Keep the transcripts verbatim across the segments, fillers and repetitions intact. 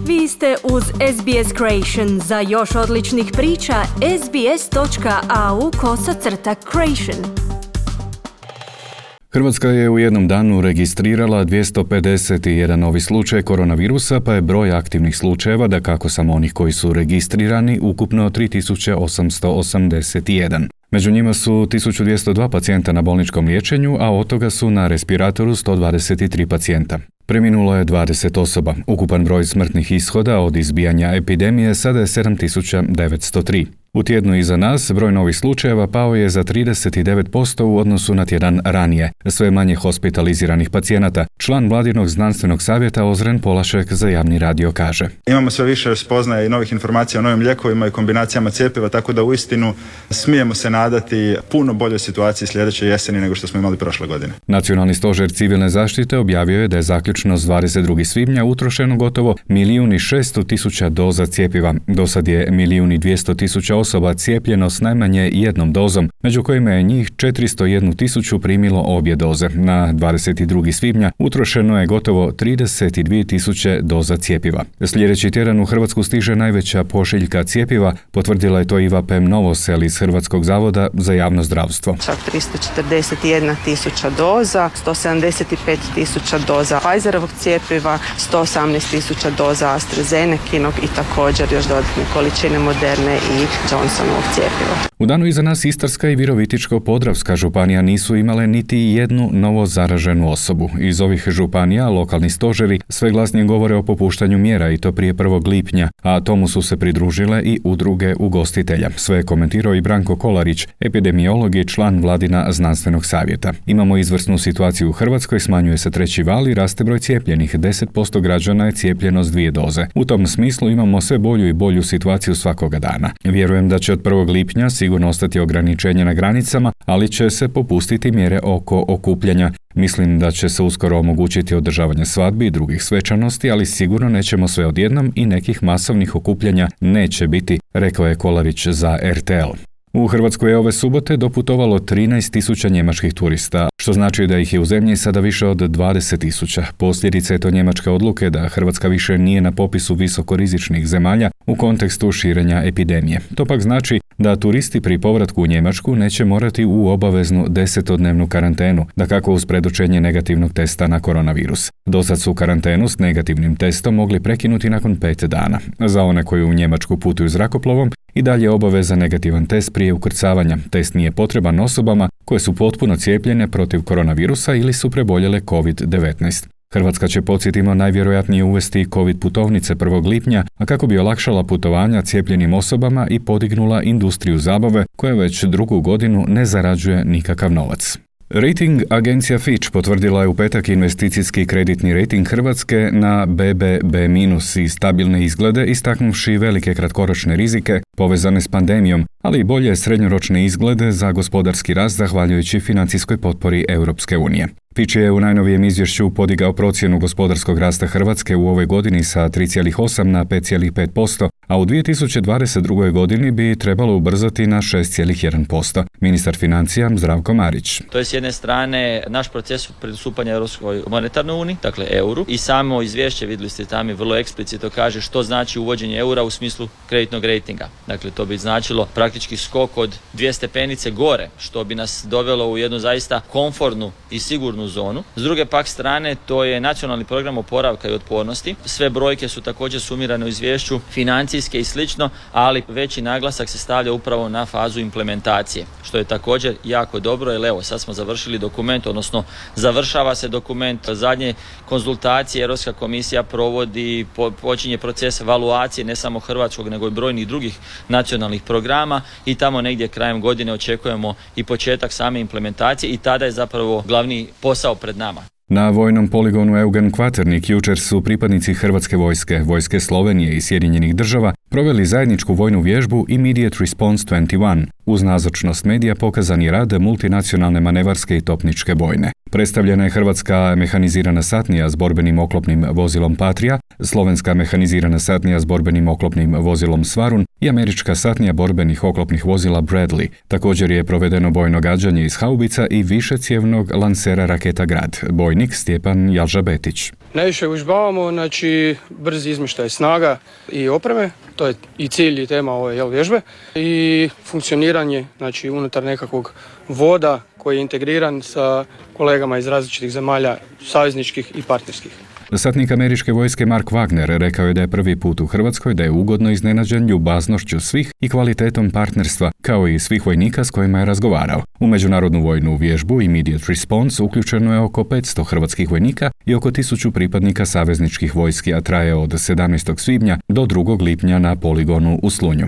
Vi ste uz S B S Creation. Za još odličnih priča, sbs.au kosacrta creation. Hrvatska je u jednom danu registrirala dvjesto pedeset jedan novi slučaj koronavirusa, pa je broj aktivnih slučajeva, dakako samo onih koji su registrirani, ukupno tri tisuće osamsto osamdeset jedan. Među njima su tisuću dvjesto dva pacijenta na bolničkom liječenju, a od toga su na respiratoru sto dvadeset tri pacijenta. Preminulo je dvadeset osoba. Ukupan broj smrtnih ishoda od izbijanja epidemije sada je sedam tisuća devetsto tri. U tjednu iza nas broj novih slučajeva pao je za trideset devet posto u odnosu na tjedan ranije. Sve manje hospitaliziranih pacijenata. Član Vladinog znanstvenog savjeta Ozren Polašek za javni radio kaže: Imamo sve više spoznaja i novih informacija o novim lijekovima i kombinacijama cjepiva, tako da uistinu smijemo se nadati puno boljoj situaciji sljedeće jeseni nego što smo imali prošle godine. Nacionalni stožer civilne zaštite objavio je da je zaključno s dvadeset drugog svibnja utrošeno gotovo milijun i šesto tisuća doza cjepiva. Do sad je milijun i dvjesto tisuća osoba cijepljeno s najmanje jednom dozom, među kojima je njih četiristo jednu tisuću primilo obje doze. Na dvadeset drugog svibnja utrošeno je gotovo trideset dvije tisuće doza cjepiva. Sljedeći tjedan u Hrvatsku stiže najveća pošiljka cjepiva, potvrdila je to Iva Pem Novosel iz Hrvatskog zavoda za javno zdravstvo. Čak tristo četrdeset jedna tisuća doza, sto sedamdeset pet tisuća doza Pfizerovog cjepiva, sto osamnaest tisuća doza AstraZenekinog i također još dodatne količine Moderne i Johnsonovog cjepiva. U danu iza nas Istarska i Virovitičko-podravska županija nisu imale niti jednu novo zaraženu osobu. Iz ovih županija lokalni stožeri sve glasnije govore o popuštanju mjera i to prije prvog lipnja, a tomu su se pridružile i udruge ugostitelja. Sve je komentirao i Branko Kolarić, epidemiolog i član Vladina znanstvenog savjeta. Imamo izvrsnu situaciju u Hrvatskoj, smanjuje se treći val i raste broj cijepljenih. deset posto građana je cijepljeno s dvije doze. U tom smislu imamo sve bolju i bolju situaciju svakoga dana. Vjerujem da će od prvog lipnja sigurno ostati ograničenje na granicama, ali će se popustiti mjere oko okupljanja. Mislim da će se uskoro omogućiti održavanje svadbi i drugih svečanosti, ali sigurno nećemo sve odjednom i nekih masovnih okupljanja neće biti, rekao je Kolarić za R T L. U Hrvatskoj je ove subote doputovalo trinaest tisuća njemačkih turista, što znači da ih je u zemlji sada više od dvadeset tisuća. Posljedica je to njemačke odluke da Hrvatska više nije na popisu visokorizičnih zemalja u kontekstu širenja epidemije. To pak znači da turisti pri povratku u Njemačku neće morati u obaveznu desetodnevnu karantenu, dakako uz predočenje negativnog testa na koronavirus. Dosad su karantenu s negativnim testom mogli prekinuti nakon pet dana. Za one koji u Njemačku putuju zrakoplovom i dalje je obaveza negativan test prije ukrcavanja. Test nije potreban osobama koje su potpuno cijepljene protiv koronavirusa ili su preboljele covid devetnaest. Hrvatska će, podsjetimo, najvjerojatnije uvesti covid putovnice prvog lipnja, a kako bi olakšala putovanja cijepljenim osobama i podignula industriju zabave koja već drugu godinu ne zarađuje nikakav novac. Rating agencija Fitch potvrdila je u petak investicijski kreditni rating Hrvatske na be be be minus i stabilne izglede, istaknuvši velike kratkoročne rizike povezane s pandemijom, ali i bolje srednjoročne izglede za gospodarski rast zahvaljujući financijskoj potpori Europske unije. Fitch je u najnovijem izvješću podigao procjenu gospodarskog rasta Hrvatske u ovoj godini sa tri zarez osam na pet zarez pet posto, a u dvije tisuće dvadeset drugoj godini bi trebalo ubrzati na šest zarez jedan posto. Ministar financija Zdravko Marić. To je s jedne strane naš proces pristupanja Europskoj monetarnoj uniji, dakle euru, i samo izvješće, vidjeli ste tamo, vrlo eksplicitno kaže što znači uvođenje eura u smislu kreditnog rejtinga. Dakle, to bi značilo praktički skok od dvije stepenice gore, što bi nas dovelo u jednu zaista komfortnu i sigurnu zonu. S druge pak strane, to je nacionalni program oporavka i otpornosti. Sve brojke su također sumirane u izvješću, financijske i slično, ali veći naglasak se stavlja upravo na fazu implementacije, što je također jako dobro, jer evo sad smo završili dokument, odnosno završava se dokument, zadnje konzultacije Europska komisija provodi, po, počinje proces evaluacije ne samo hrvatskog nego i brojnih drugih nacionalnih programa i tamo negdje krajem godine očekujemo i početak same implementacije i tada je zapravo glavni posao pred nama. Na vojnom poligonu Eugen Kvaternik jučer su pripadnici Hrvatske vojske, vojske Slovenije i Sjedinjenih država proveli zajedničku vojnu vježbu Immediate Response dvadeset jedan. Uz nazočnost medija pokazan je rad multinacionalne manevarske i topničke bojne. Predstavljena je hrvatska mehanizirana satnija s borbenim oklopnim vozilom Patria, slovenska mehanizirana satnija s borbenim oklopnim vozilom Svarun i američka satnija borbenih oklopnih vozila Bradley. Također je provedeno bojno gađanje iz haubica i višecjevnog lansera raketa Grad. Bojnik Stjepan Jalžabetić. Najviše užbavamo, znači brzi izmještaj snaga i opreme, to je i cilj i tema ove jel, vježbe, i funkcioniranje znači, unutar nekakvog voda koji je integriran sa kolegama iz različitih zemalja, savezničkih i partnerskih. Satnik američke vojske Mark Wagner rekao je da je prvi put u Hrvatskoj da je ugodno iznenađen ljubaznošću svih i kvalitetom partnerstva, kao i svih vojnika s kojima je razgovarao. U međunarodnu vojnu vježbu Immediate Response uključeno je oko petsto hrvatskih vojnika i oko tisuću pripadnika savezničkih vojski, a traje od sedamnaestog svibnja do drugog lipnja na poligonu u Slunju.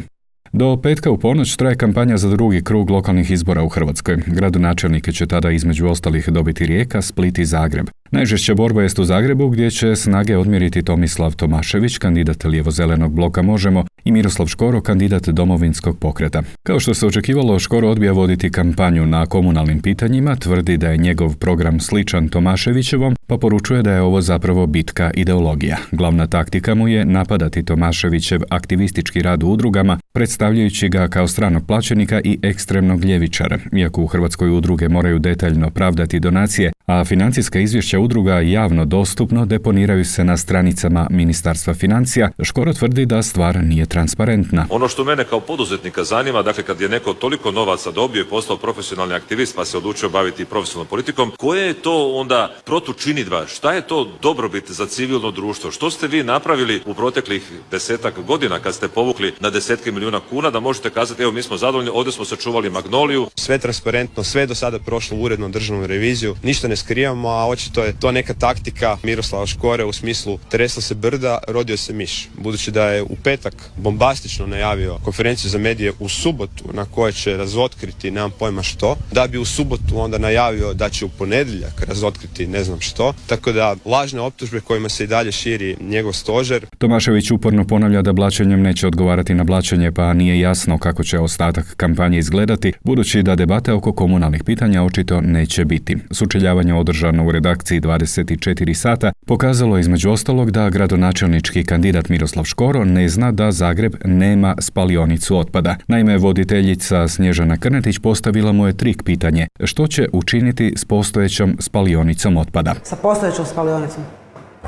Do petka u ponoć traje kampanja za drugi krug lokalnih izbora u Hrvatskoj. Gradonačelnike će tada između ostalih dobiti Rijeka, Split i Zagreb. Najžešća borba jest u Zagrebu gdje će snage odmjeriti Tomislav Tomašević, kandidat lijevo-zelenog bloka Možemo, i Miroslav Škoro, kandidat Domovinskog pokreta. Kao što se očekivalo, Škoro odbija voditi kampanju na komunalnim pitanjima, tvrdi da je njegov program sličan Tomaševićevom, pa poručuje da je ovo zapravo bitka ideologija. Glavna taktika mu je napadati Tomaševićev aktivistički rad u udrugama, predstavljajući ga kao stranog plaćenika i ekstremnog ljevičara. Iako u Hrvatskoj udruge moraju detaljno pravdati donacije, a financijska izvješća udruga javno dostupno deponiraju se na stranicama Ministarstva financija, Škoro tvrdi da stvar nije transparentna. Ono što mene kao poduzetnika zanima, dakle kad je neko toliko novaca dobio i postao profesionalni aktivist pa se odlučio baviti profesionalnom politikom, koja je to onda protučinidba? Šta je to dobrobit za civilno društvo? Što ste vi napravili u proteklih desetak godina kad ste povukli na desetke milijuna kuna da možete kazati evo mi smo zadovoljni, ovdje smo sačuvali Magnoliju? Sve transparentno, sve do sada prošlo uredno državnu reviziju, ništa ne skrivamo, a očito je to neka taktika Miroslava Škore u smislu tresla se brda, rodio se miš. Budući da je u petak bombastično najavio konferenciju za medije u subotu na kojoj će razotkriti, nemam pojma što, da bi u subotu onda najavio da će u ponedjeljak razotkriti ne znam što, tako da lažne optužbe kojima se i dalje širi njegov stožer. Tomašević uporno ponavlja da blaćenjem neće odgovarati na blaćenje, pa nije jasno kako će ostatak kampanje izgledati, budući da debate oko komunalnih pitanja očito neće biti. Sučeljavanje održano u redakciji dvadeset četiri sata pokazalo između ostalog da gradonačelnički kandidat Miroslav Škoro ne zna da Zagreb nema spalionicu otpada. Naime, voditeljica Snježana Krnetić postavila mu je trik pitanje: što će učiniti s postojećom spalionicom otpada? Sa postojećom spalionicom?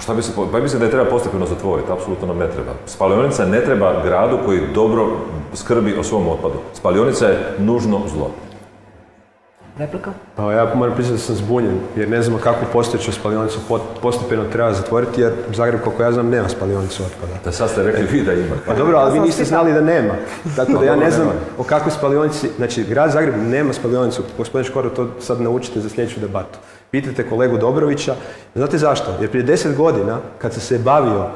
Šta bi se, pa mislim da je treba postepeno zatvoriti, apsolutno nam ne treba. Spalionica ne treba gradu koji dobro skrbi o svom otpadu. Spalionica je nužno zlo. Replika? Pa ja moram priznati da sam zbunjen, jer ne znam kako postojeću spalionicu postepeno treba zatvoriti, jer Zagreb, koliko ja znam, nema spalionicu otpada. Da sad ste rekli vi da ima. Pa dobro, ali vi niste znali da nema. Tako da ja ne znam o kakvoj spalionici, znači grad Zagreb nema spalionicu. Gospodin Škoro, to sad naučite za sljedeću debatu. Pitajte kolegu Dobrovića. Znate zašto? Jer prije deset godina, kad sam se bavio,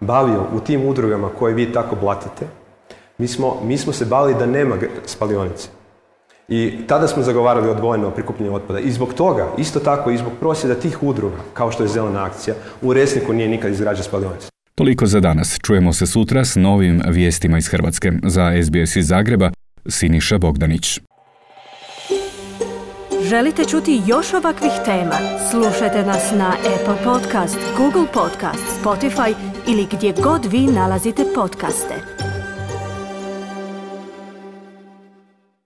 bavio u tim udrugama koje vi tako blatite, mi smo, mi smo se bavili da nema spalionice. I tada smo zagovarali odvojeno prikupljanje otpada. I zbog toga, isto tako i zbog prosvjeda tih udruga, kao što je Zelena akcija, u Resniku nije nikad izgrađena spalionica. Toliko za danas. Čujemo se sutra s novim vijestima iz Hrvatske. Za S B S iz Zagreba, Siniša Bogdanić. Želite čuti još ovakvih tema? Slušajte nas na Apple Podcast, Google Podcast, Spotify ili gdje god vi nalazite podcaste.